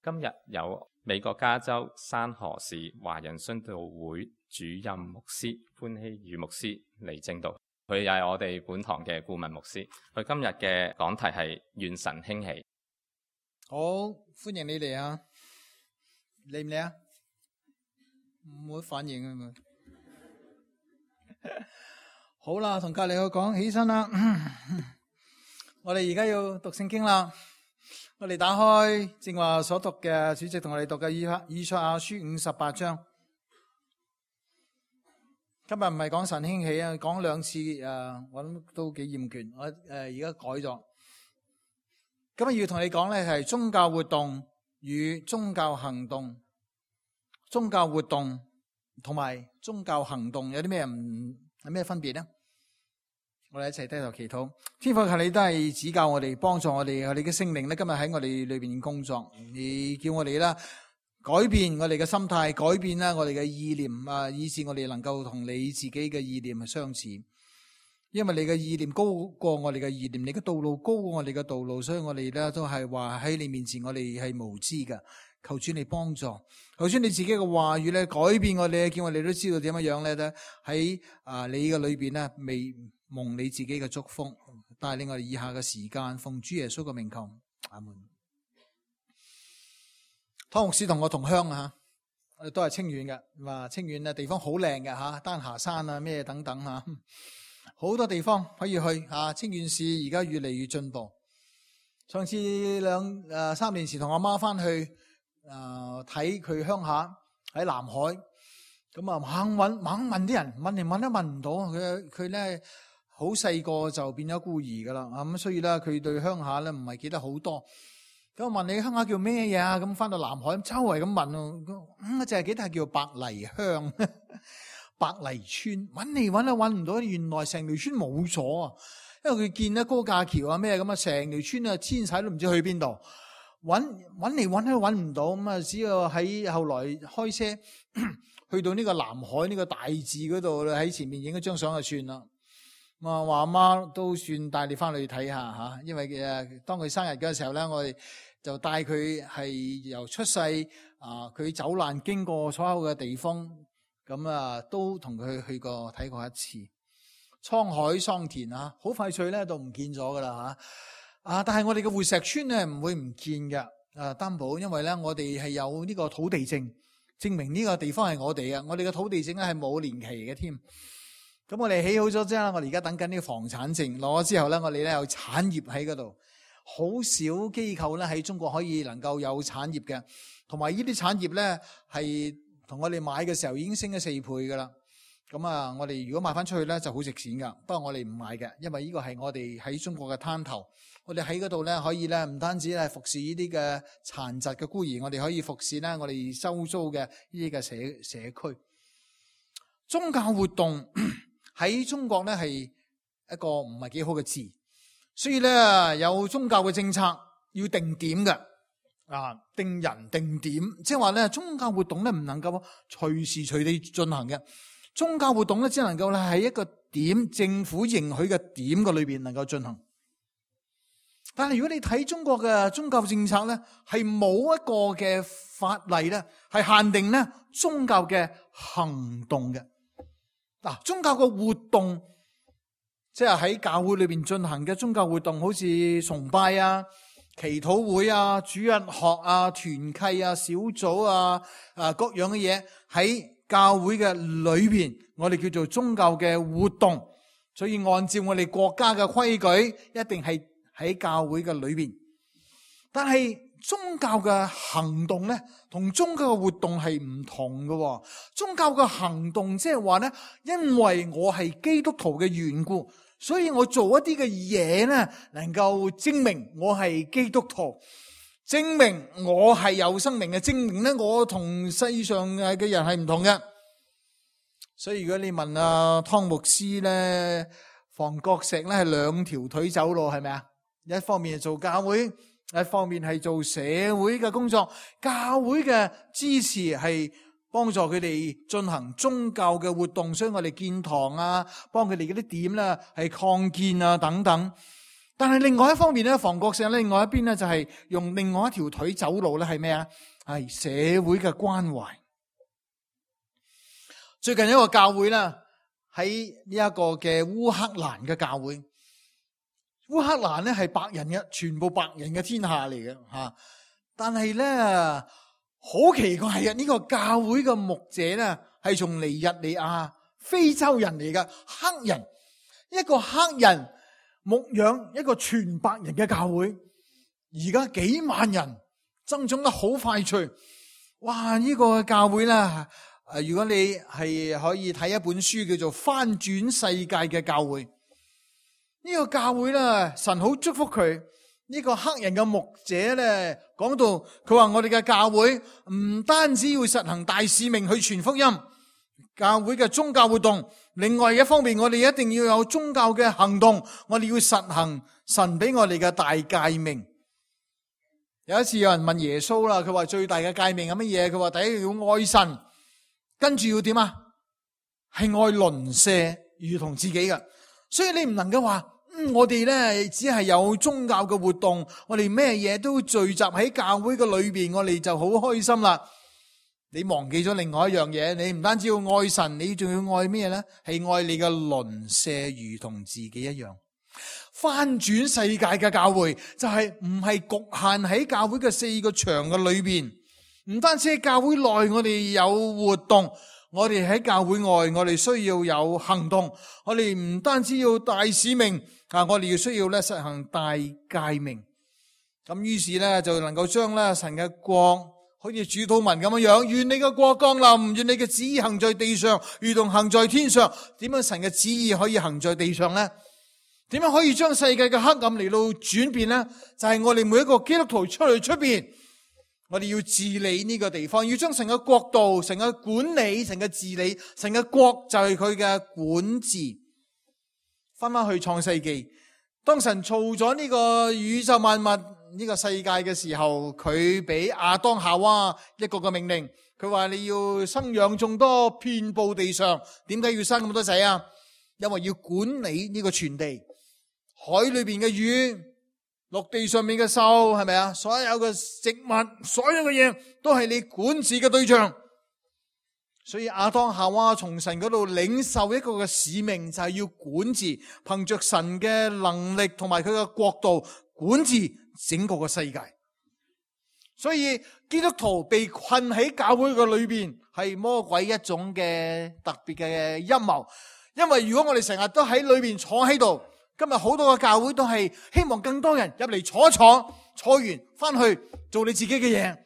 今日有美國加州山河市華人殉道會主任牧師潘希宇牧師嚟證道，佢又係我哋本堂嘅顧問牧師。佢今日嘅講題係願神興起。好，歡迎你哋啊！嚟唔嚟啊？冇反應啊嘛！好啦，同隔籬個講起身啦。我哋而家要讀聖經啦。我哋打開正話所讀嘅主席同我哋讀嘅以賽亞書58章。今日唔係講神興起啊，講兩次我諗都幾厭倦。我而家改咗。今日要同你講咧係宗教活動與宗教行動。宗教活動同埋宗教行動有啲咩分別呢？我哋一齊低頭祈禱。天父，求你都係指教我哋，幫助我哋嘅聖靈咧，今日喺我哋裏邊工作。你叫我哋啦改變我哋嘅心態，改變啦我哋嘅意念啊，以致我哋能夠同你自己嘅意念係相似。因為你嘅意念高過我哋嘅意念，你嘅道路高過我哋嘅道路，所以我哋咧都係話喺你面前我哋係無知嘅。求主你幫助，求主你自己嘅話語咧改變我哋，叫我哋都知道點樣咧喺你嘅裏邊咧未蒙你自己嘅祝福，帶領我哋以下嘅時間，奉主耶穌嘅名求，阿門。湯牧師同我同鄉啊，我哋都係清遠嘅，話清遠地方好靚嘅吓，丹霞山啊咩等等吓，好多地方可以去吓。清遠市而家越嚟越進步。上次3年前同阿媽翻去睇佢鄉下喺南海，咁啊猛問啲人，問嚟問都問唔到。佢咧好細個就變咗孤兒噶啦，咁所以咧佢對鄉下咧唔係記得好多。咁我問你鄉下叫咩嘢啊？咁翻到南海周圍咁問，我淨係記得係叫白泥鄉、白泥村。揾嚟揾都揾唔到，原來成條村冇咗啊！因為佢見咧高架橋啊咩咁啊，成條村啊遷晒都唔知去邊度。揾嚟揾都揾唔到，咁啊只要喺後來開車去到呢個南海呢個大字嗰度，喺前面影一張相就算啦。我話阿媽都算帶你翻去睇下吓，因為當佢生日嘅時候咧，我哋就帶佢係由出世佢走難經過所有嘅地方，咁都同佢去過睇過一次。滄海桑田啊，好快脆咧都唔見咗噶啦吓。但係我哋嘅活石村咧唔會唔見嘅，擔保，因為咧我哋係有呢個土地證，證明呢個地方係我哋嘅。我哋嘅土地證咧係冇年期嘅添。咁我哋起好咗之後，我哋而家等緊呢個房產證攞咗之後咧，我哋咧有產業喺嗰度。好少機構咧喺中國可以能夠有產業嘅，同埋呢啲產業咧係同我哋買嘅時候已經升咗4倍噶啦。咁我哋如果賣翻出去咧就好值錢噶，不過我哋唔買嘅，因為呢個係我哋喺中國嘅灘頭，我哋喺嗰度咧可以咧唔單止係服侍呢啲嘅殘疾嘅孤兒，我哋可以服侍咧我哋周遭嘅呢啲嘅社區。宗教活動喺中國咧係一個唔係幾好嘅字，所以咧有宗教嘅政策要定點嘅，定人定點，即係話咧宗教活動咧唔能夠隨時隨地進行嘅。宗教活動咧，只能夠咧喺一個點，政府認許嘅點嘅裏邊能夠進行。但係如果你睇中國嘅宗教政策咧，係冇一個嘅法例咧，係限定咧宗教嘅行動嘅。宗教嘅活動，即係喺教會裏邊進行嘅宗教活動，好似崇拜啊、祈禱會啊、主日學啊、團契啊、小組啊、各樣嘅嘢喺教會嘅裏邊，我哋叫做宗教嘅活動，所以按照我哋國家嘅規矩，一定係喺教會嘅裏邊。但係宗教嘅行動咧，同宗教嘅活動係唔同嘅。宗教嘅行動即係話咧，因為我係基督徒嘅緣故，所以我做一啲嘅嘢咧，能夠證明我係基督徒。證明我係有生命嘅，證明咧我同世上嘅人係唔同嘅。所以如果你問湯牧師咧，房角石咧係2條腿走路，係咪啊？一方面係做教會，一方面係做社會嘅工作。教會嘅支持係幫助佢哋進行宗教嘅活動，所以我哋建堂啊，幫佢哋嗰啲點咧係擴建啊等等。但係另外一方面咧，房角石咧，另外一邊咧就係用另外一條腿走路咧，係咩啊？係社會嘅關懷。最近一個教會啦，喺呢一個嘅烏克蘭嘅教會，烏克蘭咧係白人嘅，全部白人嘅天下嚟嘅吓。但係咧好奇怪嘅，呢個教會嘅牧者咧係從尼日利亞非洲人嚟嘅黑人，一個黑人牧養一個全白人嘅教會，而家幾萬人增長得好快脆。哇！呢個教會咧，如果你係可以睇一本書叫做《翻轉世界嘅教會》，呢個教會咧，神好祝福佢。呢個黑人嘅牧者咧講到，佢話我哋嘅教會唔單止要實行大使命去傳福音，教會嘅宗教活動，另外一方面我哋一定要有宗教嘅行動，我哋要實行神俾我哋嘅大誡命。有一次有人問耶穌啦，佢話最大嘅誡命係乜嘢？佢話第一要愛神，跟住要點啊？係愛鄰舍如同自己嘅。所以你唔能夠話我哋咧只係有宗教嘅活動，我哋咩嘢都聚集喺教會嘅裏邊，我哋就好開心啦。你忘記咗另外一樣嘢，你唔單止要愛神，你仲要愛咩咧？係愛你嘅鄰舍如同自己一樣。翻轉世界嘅教會就係唔係局限喺教會嘅四個牆嘅裏邊，唔單止喺教會內我哋有活動，我哋喺教會外我哋需要有行動，我哋唔單止要大使命我哋要需要咧實行大誡命。咁於是咧就能夠將咧神嘅國好似主禱文咁樣樣，願你嘅國降臨，願你嘅旨意行在地上如同行在天上。點樣神嘅旨意可以行在地上咧？點樣可以將世界嘅黑暗嚟到轉變咧？就係我哋每一個基督徒出去出邊，我哋要治理呢個地方，要將神嘅國度、神嘅管理、神嘅治理、神嘅國就係佢嘅管治。翻翻去創世紀，當神造咗呢個宇宙萬物呢個世界嘅時候，佢俾亞當夏娃一個嘅命令，佢話你要生養眾多，遍布地上。點解要生咁多仔啊？因為要管理呢個全地，海裏邊嘅魚，陸地上面嘅獸，係咪啊？所有嘅植物，所有嘅嘢都係你管治嘅對象。所以亞當夏娃從神嗰度領受一個嘅使命，就係要管治，憑着神嘅能力同埋佢嘅國度管治整個嘅世界。所以基督徒被困喺教會嘅裏邊，係魔鬼一種嘅特別嘅陰謀。因為如果我哋成日都喺裏邊坐喺度，今日好多嘅教會都係希望更多人入嚟坐一坐，坐完翻去做你自己嘅嘢。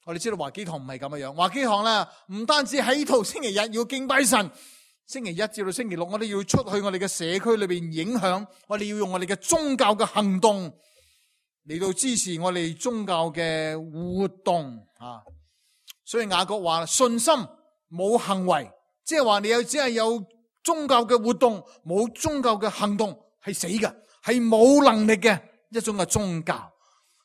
我哋知道華基堂唔係咁嘅樣，華基堂咧唔單止喺度星期日要敬拜神，星期一至到星期六我哋要出去我哋嘅社區裏邊影響，我哋要用我哋嘅宗教嘅行動嚟到支持我哋宗教嘅活動啊。所以雅各話信心冇行為，即係話你只係有宗教嘅活動，冇宗教嘅行動係死嘅，係冇能力嘅一種嘅宗教。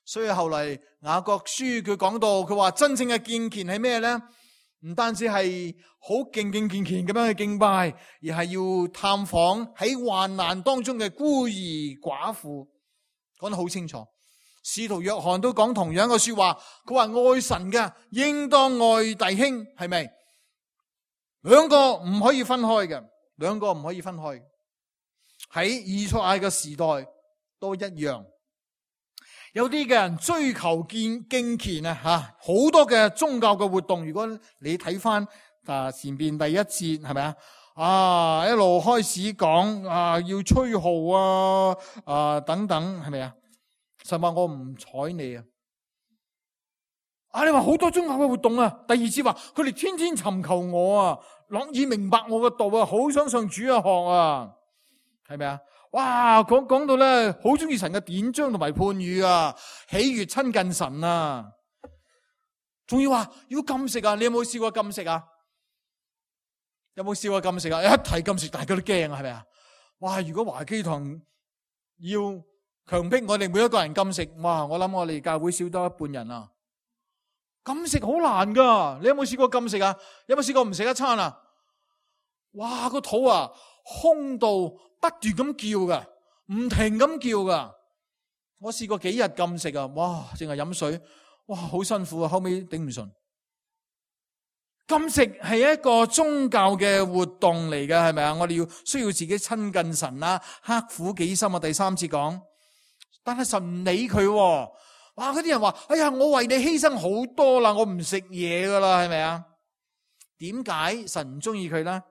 所以後嚟雅各書佢講到，佢話真正嘅敬虔係咩咧？唔單止係好敬虔咁樣去敬拜，而係要探訪喺患難當中嘅孤兒寡婦，講得好清楚。使徒約翰都講同樣嘅說話，佢話愛神嘅應當愛弟兄，係咪？兩個唔可以分開嘅，兩個唔可以分開。喺以賽亞嘅時代都一樣。有啲嘅人追求敬虔啊，好多嘅宗教嘅活動。如果你睇翻前邊第一節係咪啊？一路開始講要吹號等等係咪啊？神話我唔睬你啊！你話好多宗教嘅活動啊。第二節話佢哋天天尋求我啊，樂意明白我嘅道啊，好想上主啊學啊，係咪啊？哇，講到咧，好中意神嘅典章同埋判語啊，喜悅親近神啊，仲要話要禁食啊！你有冇試過禁食啊？有冇試過禁食啊？一提禁食，大家都驚啊，係咪啊？哇！如果華基堂要強迫我哋每一個人禁食，哇！我諗我哋教會少多一半人啊！禁食好難噶，你有冇試過禁食啊？有冇試過唔食一餐啊？哇！個肚空到不斷咁叫噶，唔停咁叫噶。我試過幾日禁食啊，哇，淨係飲水，哇，好辛苦啊，後尾頂唔順。禁食係一個宗教嘅活動嚟嘅，係咪啊？我哋需要自己親近神啦，刻苦己心啊。第3節講，但係神唔理佢，哇！嗰啲人話：哎呀，我為你犧牲好多啦，我唔食嘢噶啦，係咪啊？點解神唔中意佢咧？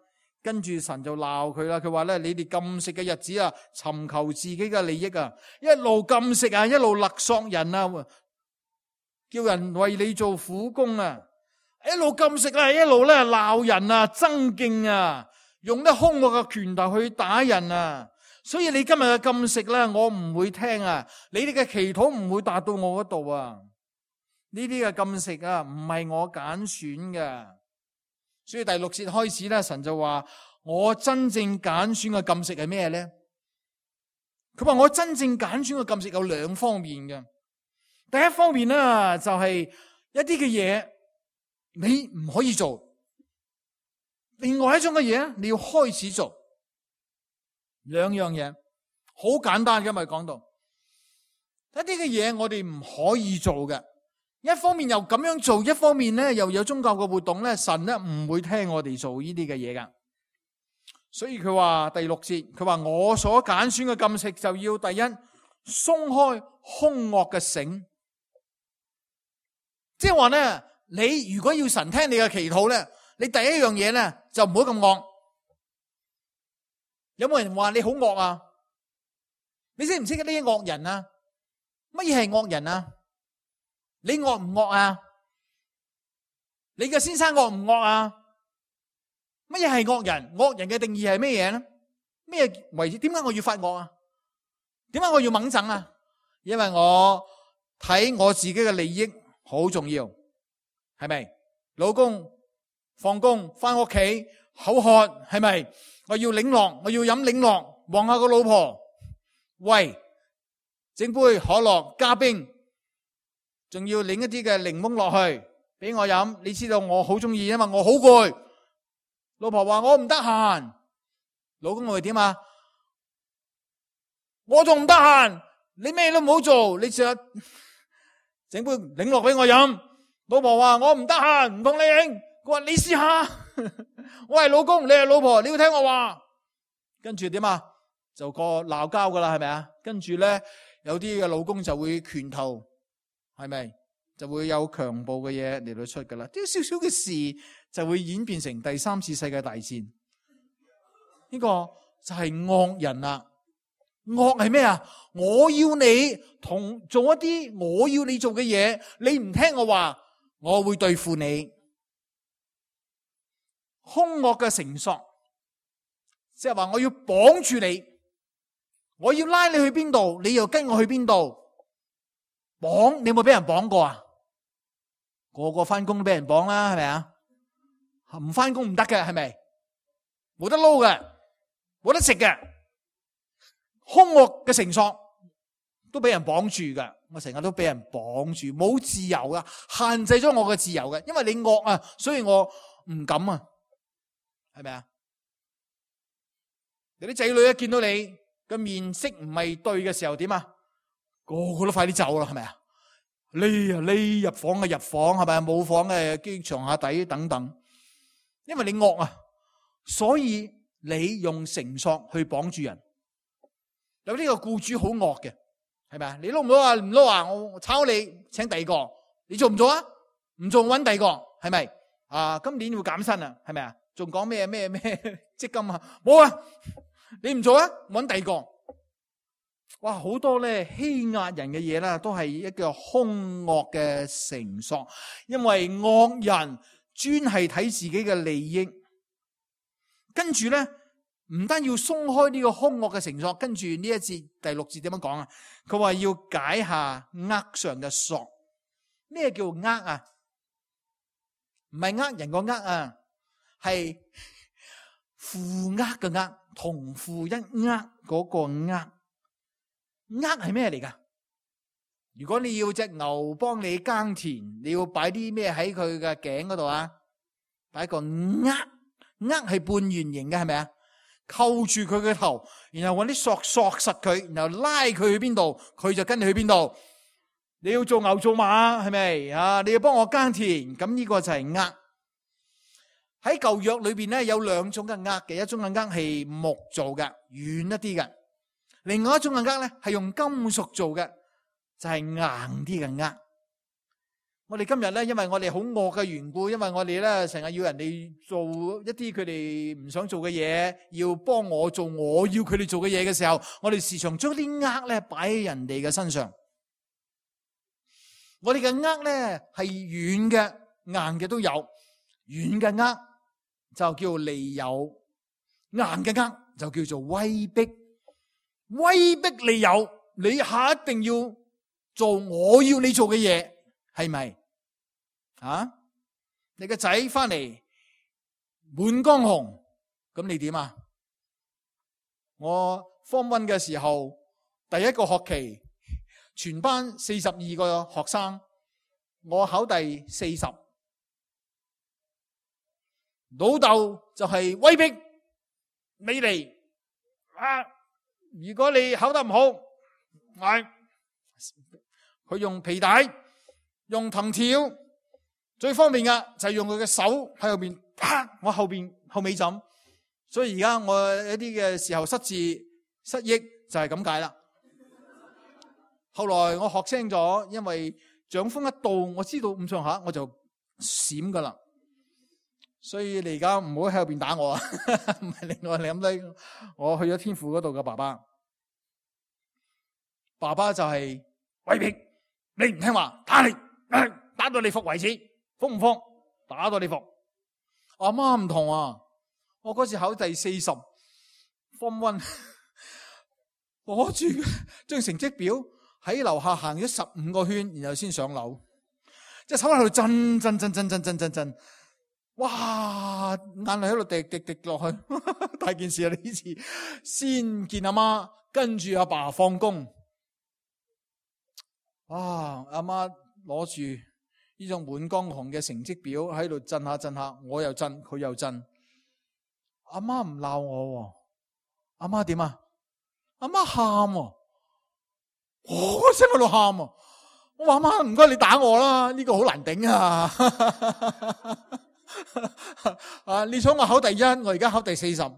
跟住神就鬧佢啦。佢話咧：你哋禁食嘅日子啊，尋求自己嘅利益啊，一路禁食啊，一路勒索人啊，叫人為你做苦工啊。一路禁食啦，一路咧鬧人啊，爭競啊，用啲兇惡嘅拳頭去打人啊。所以你今日嘅禁食咧，我唔會聽啊。你哋嘅祈禱唔會達到我嗰度啊。呢啲嘅禁食啊，唔係我揀選嘅。所以第6節開始咧，神就話：我真正揀選嘅禁食係咩咧？佢話我真正揀選嘅禁食有2方面嘅。第一方面咧，就係一啲嘅嘢，你唔可以做，另外一種嘅嘢你要開始做。2樣嘢好簡單嘅，咪講到一啲嘅嘢我哋唔可以做嘅。一方面又咁樣做，一方面咧又有宗教嘅活動咧，神咧唔會聽我哋做呢啲嘅嘢噶。所以佢話第6節，佢話我所揀選嘅禁食就要第一，鬆開兇惡嘅繩，即係話咧。你如果要神聽你嘅祈禱咧，你第一樣嘢咧就唔好咁惡。有冇人話你好惡啊？你識唔識呢啲惡人啊？乜嘢係惡人啊？你惡唔惡啊？你嘅先生惡唔惡啊？乜嘢係惡人？惡人嘅定義係咩嘢咧？咩為止？點解我要發惡啊？點解我要猛整啊？因為我睇我自己嘅利益好重要。係咪？老公放工翻屋企口渴，係咪？我要檸樂，我要飲檸樂，望下個老婆，喂，整杯可樂加冰，仲要擰一啲嘅檸檬落去俾我飲。你知道我好中意，因為我好攰。老婆話我唔得閒，老公會點啊？我仲唔得閒，你咩都唔好做，你成日整杯檸樂俾我飲。老婆話我唔得閒，唔同你影。佢話你試下。我係老公，你係老婆，你要聽我話。跟住點啊？就個鬧交噶啦，係咪啊？跟住咧，有啲嘅老公就會拳頭，係咪？就會有強暴嘅嘢嚟到出噶啦。啲少少嘅事就會演變成第3次世界大戰。呢個就係惡人啦。惡係咩啊？我要你做一啲我要你做嘅嘢，你唔聽我話，我會對付你。兇惡嘅繩索，即係話我要綁住你，我要拉你去邊度，你又跟我去邊度。綁，你有冇俾人綁過啊？個個翻工都俾人綁啦，係咪啊？唔翻工唔得嘅，係咪？冇得撈嘅，冇得食嘅。兇惡嘅繩索都俾人綁住噶，我成日都俾人綁住，冇自由噶，限制咗我嘅自由嘅，因為你惡啊，所以我唔敢啊，係咪啊？有啲仔女一見到你嘅面色唔係對嘅時候，點啊？個個都快啲走啦，係咪啊？匿入房嘅入房，係咪？冇房嘅機床下底等等，因為你惡啊，所以你用繩索去綁住人。有呢個僱主好惡嘅，係咪啊？你撈唔撈啊？唔撈啊？我炒你，請第二個。你做唔做啊？唔做，搵第二個，係咪？啊，今年要減薪啊，係咪啊？仲講咩積金啊？冇啊！你唔做啊？搵第二個。哇，好多咧欺壓人嘅嘢啦，都係一個兇惡嘅繩索，因為惡人專係睇自己嘅利益，跟住咧。唔單要鬆開呢個兇惡嘅繩索，跟住呢一節第6節點樣講啊？佢話要解下軛上嘅索。咩叫軛啊？唔係呃人個軛啊，係負軛嘅軛，同負一軛嗰個軛。軛係咩嚟噶？如果你要隻牛幫你耕田，你要擺啲咩喺佢嘅頸嗰度啊？擺個軛，軛係半圓形嘅，係咪啊？扣住佢嘅頭，然後搵啲索實佢，然後拉佢去邊度，佢就跟你去邊度。你要做牛做馬係咪啊？你要幫我耕田，咁呢個就係軛。喺舊約裏邊咧有兩種嘅軛嘅，一種嘅軛係木做嘅，軟一啲嘅；另外一種嘅軛咧係用金屬做嘅，就係硬啲嘅軛。我哋今日咧，因為我哋好惡嘅緣故，因為我哋咧成日要人哋做一啲佢哋唔想做嘅嘢，要幫我做我要佢哋做嘅嘢嘅時候，我哋時常將啲軛咧擺喺人哋嘅身上。我哋嘅軛咧係軟嘅、硬嘅都有，軟嘅軛就叫利誘，硬嘅軛就叫做威逼。威逼利誘，你下一定要做我要你做嘅嘢，係咪？啊！你個仔翻嚟滿江紅，咁你點啊？我 Form 1嘅時候，第一個學期，全班42個學生，我考第40。老豆就係威逼你嚟啊！如果你考得唔好，佢用皮帶、用藤條。最方便嘅就係用佢嘅手喺後邊，啪！我後尾枕，所以而家我一啲嘅時候失智失憶就係咁解啦。後來我學清咗，因為掌風一到，我知道咁上下我就閃噶啦。所以你而家唔好喺後邊打我啊！唔係另外你諗低，我去咗天父嗰度嘅爸爸，爸爸就係威逼你唔聽話，打你，打到你服為止。服唔服？打到你服。阿媽唔同啊，我嗰次考第40 Form 1，攞住張成績表喺樓下行咗15個圈，然後先上樓，即係手喺度震，哇！眼淚喺度滴落去，大件事啊！呢次先見阿媽，跟住阿爸放工，阿媽攞住呢種滿江紅嘅成績表喺度震下，我又震，佢又震。阿媽唔鬧我，阿媽點啊？阿媽喊，我聲喺度喊。我話阿媽唔該你打我啦，呢個好難頂啊！你想我考第1，我而家考第40，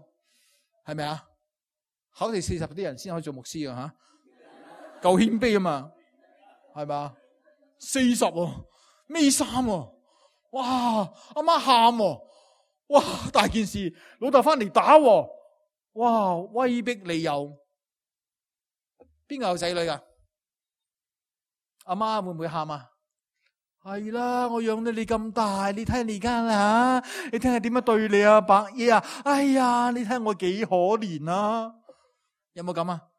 係咪啊？考第40啲人先可以做牧師啊吓，夠謙卑啊嘛，係咪啊？40喎。孭衫喎，哇！阿媽喊喎，哇！大件事，老豆翻嚟打喎，哇！威逼利誘，邊個有仔女噶？阿媽會唔會喊啊？係啦，我養到你咁大，你睇下你而家啦吓，你聽下點樣對你啊，伯爺啊！哎呀，你睇下我幾可憐啊！有冇咁啊？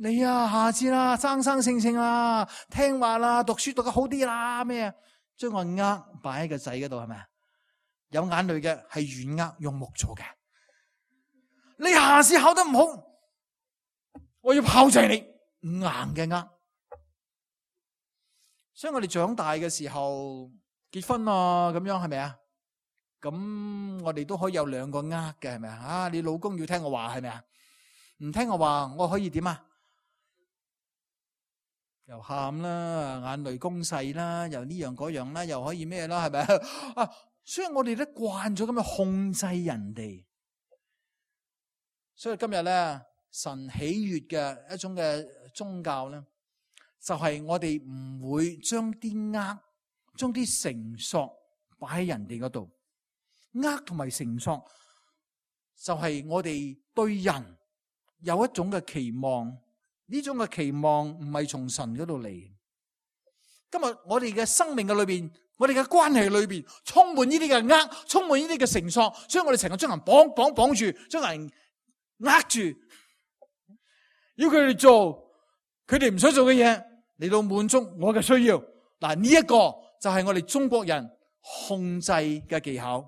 你啊，下次啦，生性啦，聽話啦，讀書讀得好啲啦，咩啊？將個軛擺喺個仔嗰度係咪啊？有眼淚嘅係軟軛，用木做嘅。你下次考得唔好，我要炮製你硬嘅軛。所以我哋長大嘅時候結婚啊，咁樣係咪啊？咁我哋都可以有2個軛嘅，係咪啊？你老公要聽我話係咪啊？唔聽我話，我可以點啊？又喊啦，眼淚攻勢啦，又呢樣嗰樣啦，又可以咩啦，係咪啊？所以我哋都慣咗咁樣控制人哋。所以今日咧，神喜悅嘅一種嘅宗教咧，就係我哋唔會將啲軛、將啲繩索擺喺人哋嗰度。軛同埋繩索就係我哋對人有一種嘅期望。呢種嘅期望唔係從神嗰度嚟。今日我哋嘅生命嘅裏邊，我哋嘅關係裏邊，充滿呢啲嘅軛，充滿呢啲嘅繩索，所以我哋成日將人綁住，將人握住，要佢哋做佢哋唔想做嘅嘢，嚟到滿足我嘅需要。嗱，呢一個就係我哋中國人控制嘅技巧。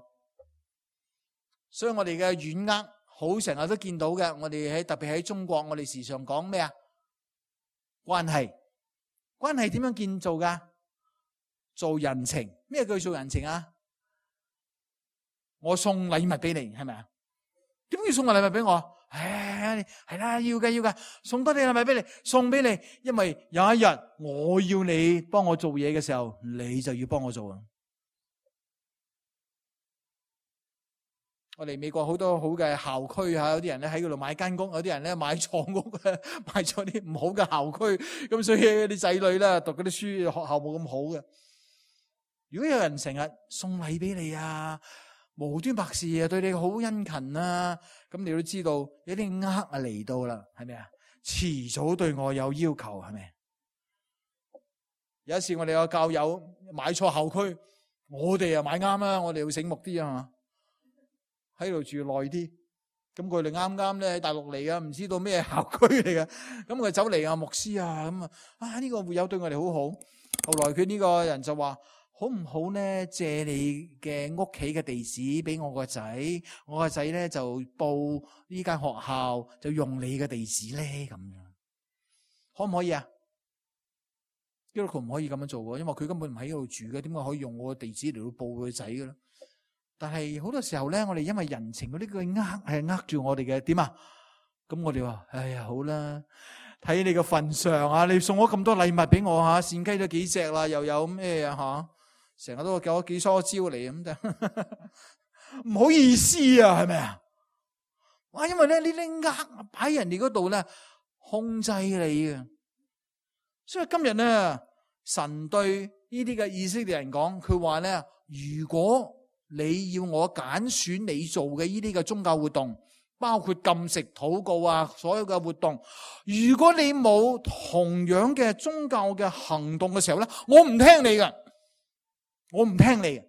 所以我哋嘅軟軛好成日都見到嘅。我哋特別喺中國，我哋時常講咩啊？關係點樣建造噶？做人情。咩叫做人情啊？我送禮物俾你，係咪啊？點解要送個禮物俾我？係啦，要嘅，送多啲禮物俾你，送俾你，因為有一日我要你幫我做嘢嘅時候，你就要幫我做啊！我哋美國好多好嘅校區吓，有啲人咧喺嗰度買間屋，有啲人咧買錯屋，買咗啲唔好嘅校區，咁所以啲仔女咧讀嗰啲書，學校冇咁好嘅。如果有人成日送禮俾你啊，無端白事啊，對你好殷勤啊，咁你都知道有啲嚟到啦，係咪啊？遲早對我有要求，係咪？有一次我哋有教友買錯校區，我哋又買啱啦，我哋要醒目啲啊嘛，喺度住耐啲，咁佢哋啱啱咧喺大陸嚟噶，唔知道咩校區嚟嘅，咁佢走嚟啊，牧師啊，咁啊呢個會友對我哋好好。後來佢呢個人就話：好唔好咧？借你嘅屋企嘅地址俾我個仔，我個仔咧就報呢間學校，就用你嘅地址咧，咁樣可唔可以啊？基督徒唔可以咁樣做嘅，因為佢根本唔喺嗰度住嘅，點解可以用我嘅地址嚟到報佢仔嘅咧？但係好多時候咧，我哋因為人情嗰啲佢呃住我哋嘅點啊？咁我哋話：哎呀，好啦，睇你個份上啊！你送咗咁多禮物俾我吓，騸雞都幾隻啦，又有咩啊吓？成日都叫咗幾梳蕉嚟咁就唔好意思啊，係咪啊？哇！因為咧呢啲擺人哋嗰度咧控制你嘅，所以今日咧神對呢啲嘅以色列人講，佢話咧：如果你要我揀選你做嘅呢啲嘅宗教活動，包括禁食、禱告啊，所有嘅活動，如果你冇同樣嘅宗教嘅行動嘅時候咧，我唔聽你嘅，我唔聽你，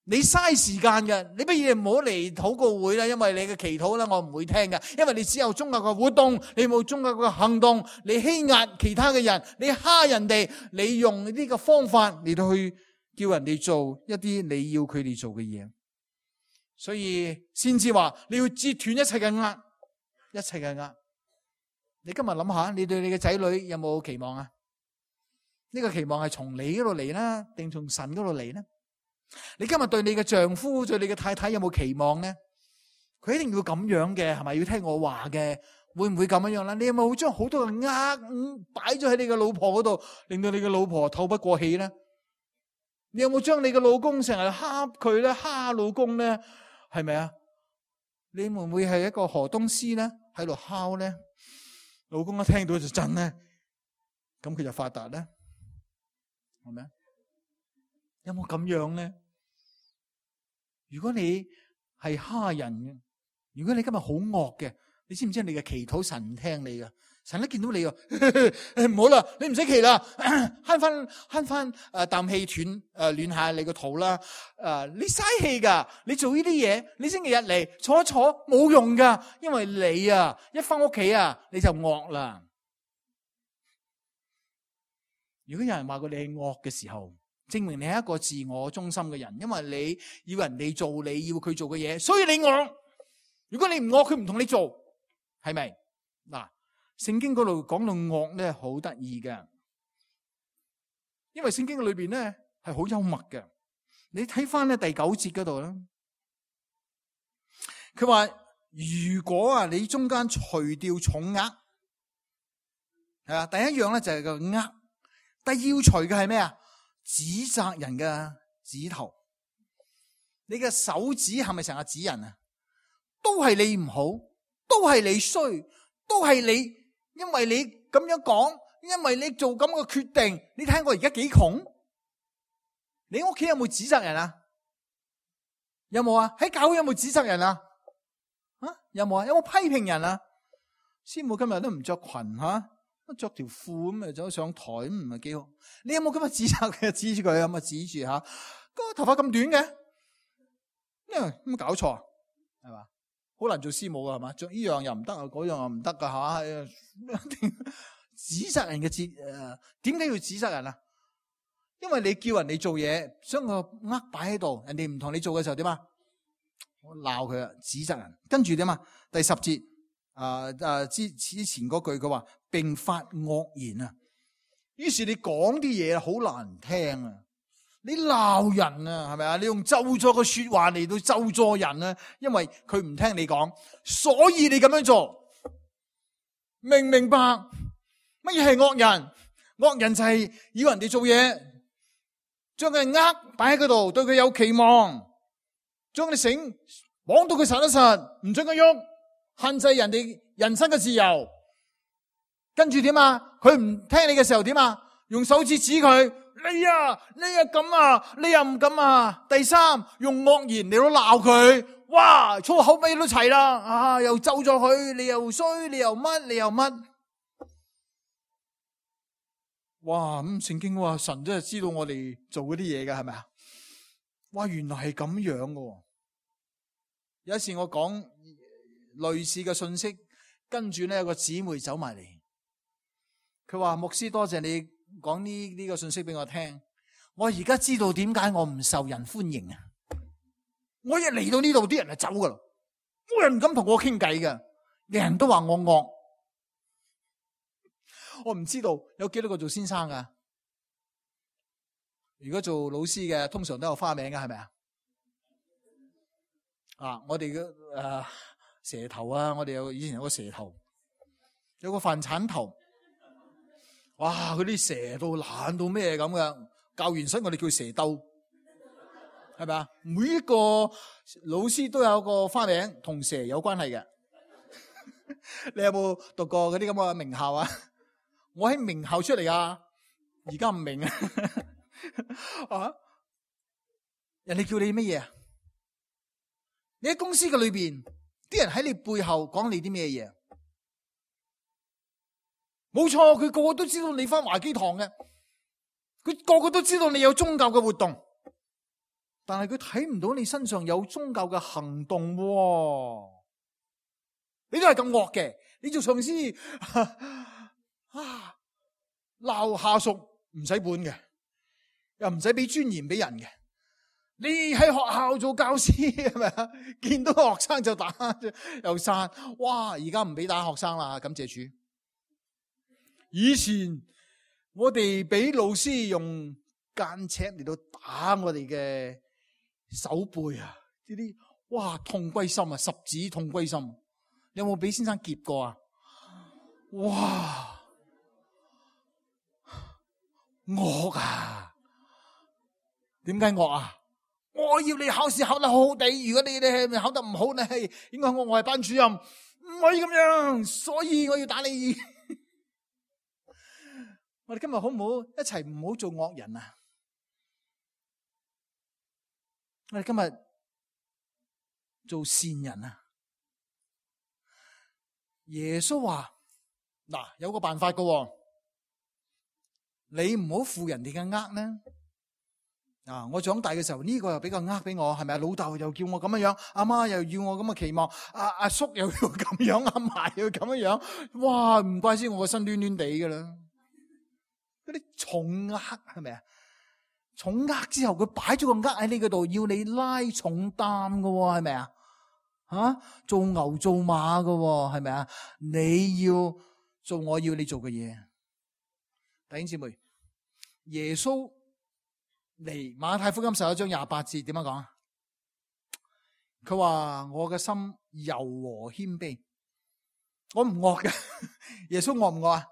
你嘥時間嘅，你不如唔好嚟禱告會啦，因為你嘅祈禱咧我唔會聽嘅，因為你只有宗教嘅活動，你冇宗教嘅行動，你欺壓其他嘅人，你蝦人哋，你用呢個方法嚟到去叫人哋做一啲你要佢哋做嘅嘢，所以先至話你要截斷一切嘅軛，一切嘅軛。你今日諗下，你對你嘅仔女有冇期望啊？呢個期望係從你嗰度嚟啦，定從神嗰度嚟呢？你今日對你嘅丈夫、對你嘅太太有冇期望呢？佢一定要咁樣嘅，係咪要聽我話嘅？會唔會咁樣啦？你有冇將好多嘅軛擺咗喺你嘅老婆嗰度，令到你嘅老婆透不過氣呢？你有冇將你嘅老公成日蝦佢咧，蝦老公咧？係咪啊？你會唔會係一個河東獅咧？喺度敲咧？老公一聽到就震咧，咁佢就發達咧？係咪啊？有冇咁樣咧？如果你係蝦人嘅，如果你今日好惡嘅，你知唔知你嘅祈禱神唔聽你㗎？神一見到你唔好啦，你唔使祈啦，慳翻啖氣暖下你個肚啦。你嘥氣噶，你做呢啲嘢，你星期日嚟坐一坐冇用噶，因為你啊一翻屋企啊你就惡啦。如果有人話過你係惡嘅時候，證明你係一個自我中心嘅人，因為你要人哋做你要佢做嘅嘢，所以你惡。如果你唔惡，佢唔同你做，係咪？嗱。聖經嗰度講到惡咧，好得意嘅，因為聖經裏邊咧係好幽默嘅。你睇翻咧第9節嗰度啦，佢話如果啊你中間除掉重軛，係啊，第一樣咧就係個軛，但係要除嘅係咩啊？指責人嘅指頭，你嘅手指係咪成日指人啊？都係你唔好，都係你衰，都係你。因為你咁樣講，因為你做咁嘅決定，你睇我而家幾窮？你屋企有冇指責人啊？有冇啊？喺教會有冇指責人啊？有冇啊？有冇批評人啊？師母今日都唔着裙吓，着條褲咁啊走上台咁唔係幾好？你有冇今日指責佢？指住佢咁啊？指住吓，個頭髮咁短嘅，咁搞錯係嘛？好難做師母噶係嘛？着呢樣又唔得啊，嗰樣又唔得噶吓。指責人嘅點解要指責人啊？因為你叫人哋做嘢，將個軛擺喺度，人哋唔同你做嘅時候點啊？我鬧佢啊，指責人。跟住點啊？第10節之前嗰句佢話並發惡言啊。於是你講啲嘢好難聽啊。你鬧人啊，係咪啊？你用咒詛嘅說話嚟到咒詛人啊，因為佢唔聽你講，所以你咁樣做，明唔明白？乜嘢係惡人？惡人就係要人哋做嘢，將佢軛擺喺嗰度，對佢有期望，將啲繩綁到佢實一實，唔准佢喐，限制人哋人生嘅自由。跟住點啊？佢唔聽你嘅時候點啊？用手指指佢，你又咁啊，你又唔咁啊。第三，用惡言嚟到鬧佢，哇，粗口味都齊啦，啊，又咒咗佢，你又衰，你又乜。哇，咁聖經話神真係知道我哋做嗰啲嘢㗎，係咪啊？哇，原來係咁樣㗎。有一次我講類似嘅信息，跟住咧有個姊妹走埋嚟，佢話牧師多謝你講呢個信息俾我聽，我而家知道點解我唔受人歡迎啊！我一嚟到呢度，啲人就走噶啦，冇人敢同我傾偈噶，人人都話我惡。我唔知道有幾多個做先生噶，如果做老師嘅，通常都有花名嘅，係咪啊？啊，我哋嘅蛇頭啊，我哋以前有個蛇頭，有個飯鏟頭，哇！嗰啲蛇到懶到咩咁嘅，教完室我哋叫蛇兜，係咪啊？每一個老師都有個花名，同蛇有關係嘅。你有冇讀過嗰啲咁嘅名校啊？我喺名校出嚟啊，而家唔明啊！啊，人哋叫你乜嘢啊？你喺公司嘅裏邊，啲人喺你背後講你啲咩嘢？冇錯，佢個個都知道你返華基堂嘅，佢個個都知道你有宗教嘅活動，但係佢睇唔到你身上有宗教嘅行動喎。你都係咁惡嘅，你做上司鬧下屬唔使本嘅，又唔使俾尊嚴俾人嘅。你喺學校做教師係咪啊？見到學生就打又殺，哇！而家唔俾打學生啦，感謝主。以前我哋俾老師用間尺嚟到打我哋嘅手背啊，呢啲哇痛歸心啊，十指痛歸心。你有冇俾先生劫過啊？哇！惡啊！點解惡啊？我要你考試考得好好地，如果你考得唔好，你係應該我係班主任，唔可以咁樣，所以我要打你。我哋今日好唔好一齊唔好做惡人啊？我哋今日做善人啊！耶穌話：嗱，有個辦法噶，你唔好負人哋嘅軛呢。啊！我長大嘅時候呢個又比較呃俾我，係咪啊？老豆又叫我咁樣樣，阿媽又要我咁嘅期望，阿叔又要咁樣，阿嫲又要咁樣樣，哇！唔怪之我個身攣攣地噶啦。嗰啲重軛係咪啊？重軛之後佢擺咗個軛喺呢個度，要你拉重擔噶，係咪啊？做牛做馬噶，係咪啊？你要做我要你做嘅嘢。弟兄姊妹，耶穌嚟馬太福音11章28節點樣講？佢話我嘅心柔和謙卑，我唔惡嘅。耶穌惡唔惡啊？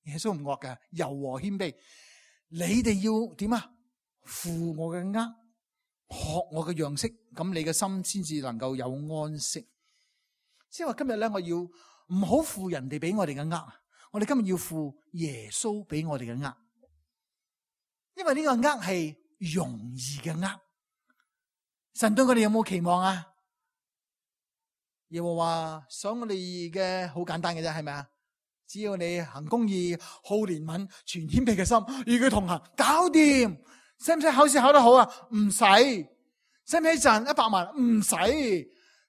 耶穌唔惡嘅，柔和謙卑。你哋要點啊？負我嘅軛，學我嘅樣式，咁你嘅心先至能夠有安息。即係話今日咧，我要唔好負人哋俾我哋嘅軛，我哋今日要負耶穌俾我哋嘅軛。因為呢個軛係容易嘅軛，神對我哋有冇期望啊？耶和華想我哋嘅好簡單嘅啫，係咪啊？只要你行公義、好憐憫、全謙卑嘅心，與佢同行，搞掂。使唔使考試考得好啊？唔使。使唔使賺100萬？唔使。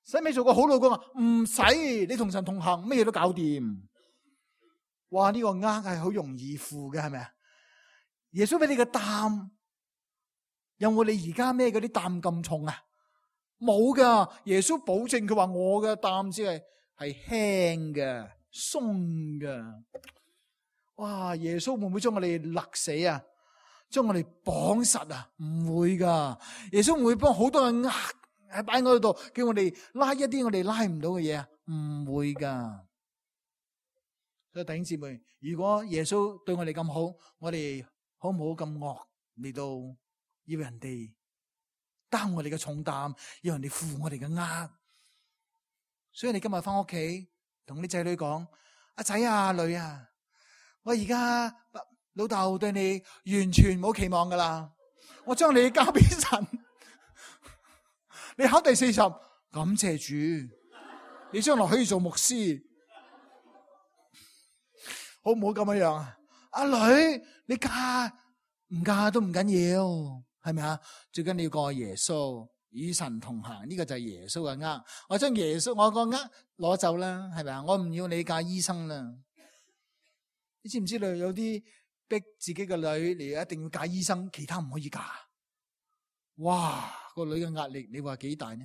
使唔使做個好老公啊？唔使。你同神同行，乜嘢都搞掂。哇！呢個軛係好容易負嘅，係咪啊？耶穌俾你嘅擔，有冇你而家孭嗰啲擔咁重啊？冇噶，耶穌保證佢話我嘅擔只係輕嘅、鬆嘅。哇！耶穌會唔會將我哋勒死啊？將我哋綁實啊，唔會噶。耶穌唔會幫好多人喺擺喺度，叫我哋拉一啲我哋拉唔到嘅嘢啊，唔會噶。所以弟兄姊妹，如果耶穌對我哋咁好，我哋好唔好咁惡嚟到要人哋擔我哋嘅重擔，要人哋負我哋嘅軛？所以你今日翻屋企同啲仔女講：阿仔啊，阿女啊，我而家老豆對你完全冇期望噶啦，我將你交俾神，你考第40，感謝主，你將來可以做牧師，好唔好咁樣啊？阿女，你嫁唔嫁都唔緊要，係咪啊？最緊要過耶穌，與神同行，呢個就係耶穌嘅軛。我將耶穌我個軛攞走啦，係咪啊？我唔要你嫁醫生啦。你知唔知道有啲逼自己嘅女嚟一定要嫁醫生，其他唔可以嫁？哇！個女嘅壓力，你話幾大呢？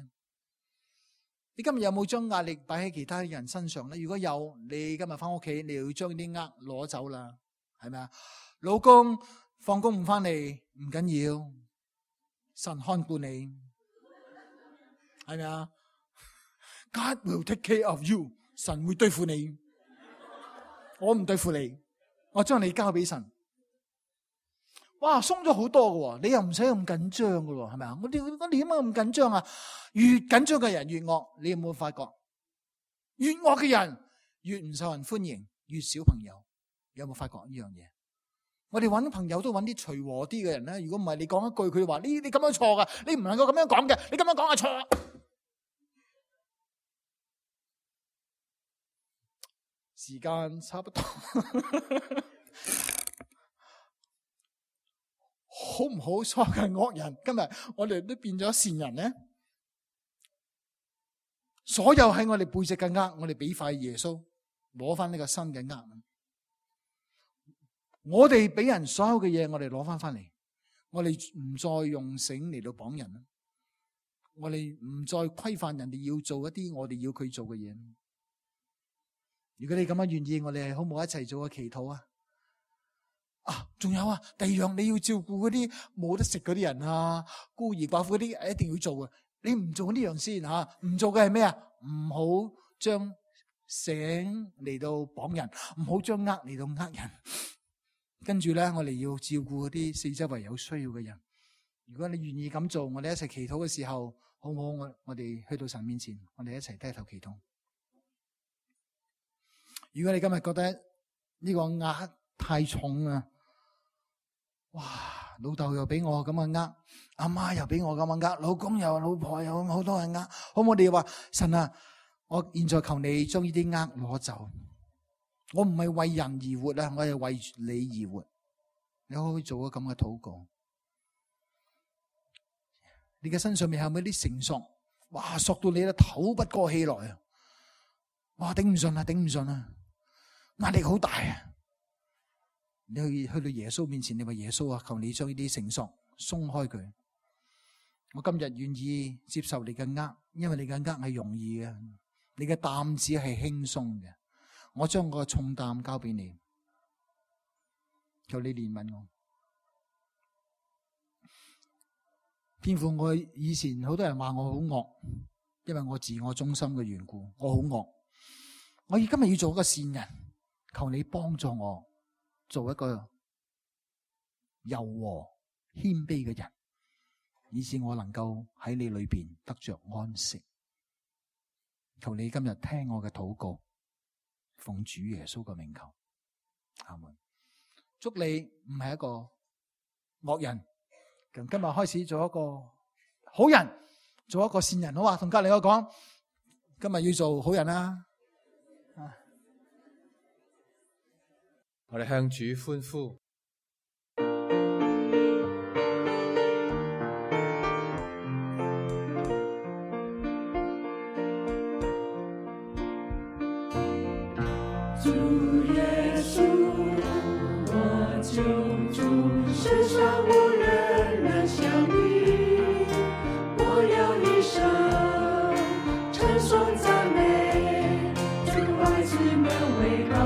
你今日有冇將壓力擺喺其他人身上咧？如果有，你今日翻屋企，你要將啲軛攞走啦，係咪啊？老公放工唔翻嚟唔緊要，神看顧你，係咪啊 ？God will take care of you， 神會對付你，我唔對付你，我將你交俾神。哇，鬆咗好多嘅，你又唔使咁緊張嘅，係咪啊？我哋點解咁緊張啊？越緊張嘅人越惡，你有冇發覺？越惡嘅人越唔受人歡迎，越少朋友。有冇發覺呢樣嘢？我哋揾朋友都揾啲隨和啲嘅人咧。如果唔係，你講一句，佢話你咁樣錯噶，你唔能夠咁樣講嘅，你咁樣講係錯。時間差不多。好唔好錯嘅惡人，今日我哋都變咗善人咧。所有喺我哋背脊嘅軛，我哋俾塊耶穌攞翻呢個新嘅軛。我哋俾人所有嘅嘢，我哋攞翻嚟。我哋唔再用繩嚟到綁人啦。我哋唔再規範人哋要做一啲我哋要佢做嘅嘢。如果你咁樣願意，我哋好唔好一齊做個祈禱啊？仲有啊，第二樣你要照顧嗰啲冇得食嗰啲人啊，孤兒寡婦嗰啲，一定要做嘅。你唔做呢樣先吓，唔做嘅係咩啊？唔好將繩嚟到綁人，唔好將軛嚟到呃人。跟住咧，我哋要照顧嗰啲四周圍有需要嘅人。如果你願意咁做，我哋一齊祈禱嘅時候，好唔好？我哋去到神面前，我哋一齊低頭祈禱。如果你今日覺得呢個軛太重啊，哇！老豆又俾我咁樣呃，阿媽又俾我咁樣呃，老公又老婆又好多人呃，好唔好？我哋話神啊，我現在求你將呢啲軛攞走。我唔係為人而活啊，我係為你而活。你可以做個咁嘅禱告。你嘅身上面係咪啲繩索？哇，索到你咧透不過氣來啊！哇，頂唔順啊，頂唔順啊，壓力好大啊！你去到耶穌面前，你話耶穌啊，求你將呢啲繩索鬆開佢。我今日願意接受你嘅軛，因為你嘅軛係容易嘅，你嘅擔子係輕鬆嘅。我將個重擔交俾你，求你憐憫我。天父，我以前好多人話我好惡，因為我自我中心嘅緣故，我好惡。我今日要做一個善人，求你幫助我。做一個柔和謙卑嘅人，以致我能夠喺你裏邊得着安息。求你今日聽我嘅禱告，奉主耶穌嘅名求，阿門。祝你唔係一個惡人，從今日開始做一個好人，做一個善人，好嘛？同隔籬我講，今日要做好人啦。我哋向主歡呼。主耶穌，我救主，世上無人能像你，我要一生稱頌讚美，主愛子們偉大。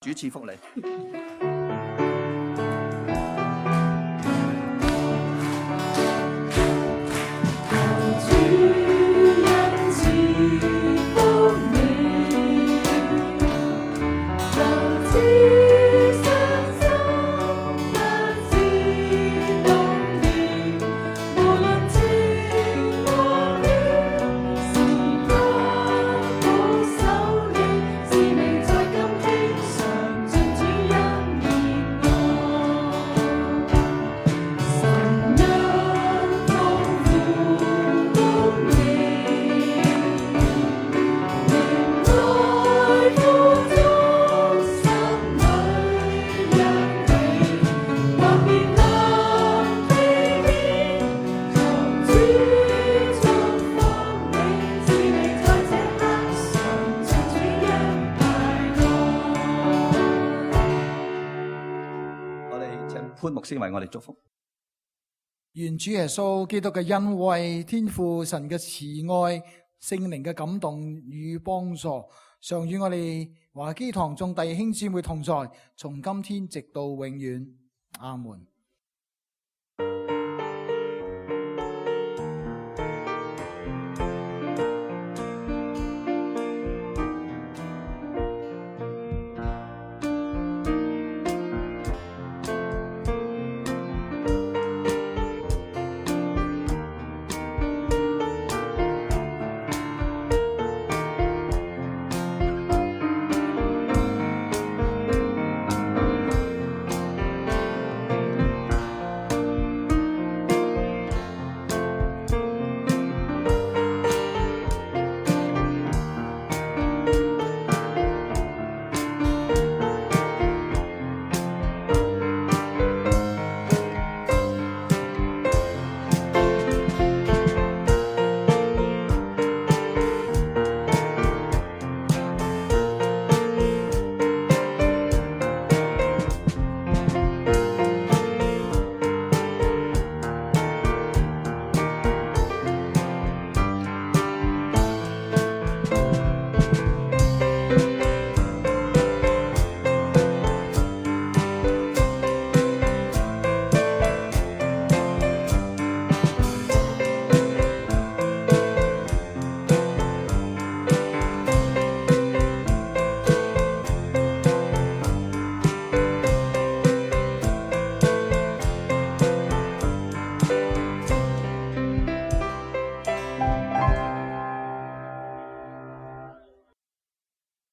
主賜福你。潘牧師為我哋祝福。願主耶穌基督嘅恩惠、天父神嘅慈愛、聖靈嘅感動與幫助，常與我哋華基堂眾弟兄姊妹同在，從今天直到永遠。阿門。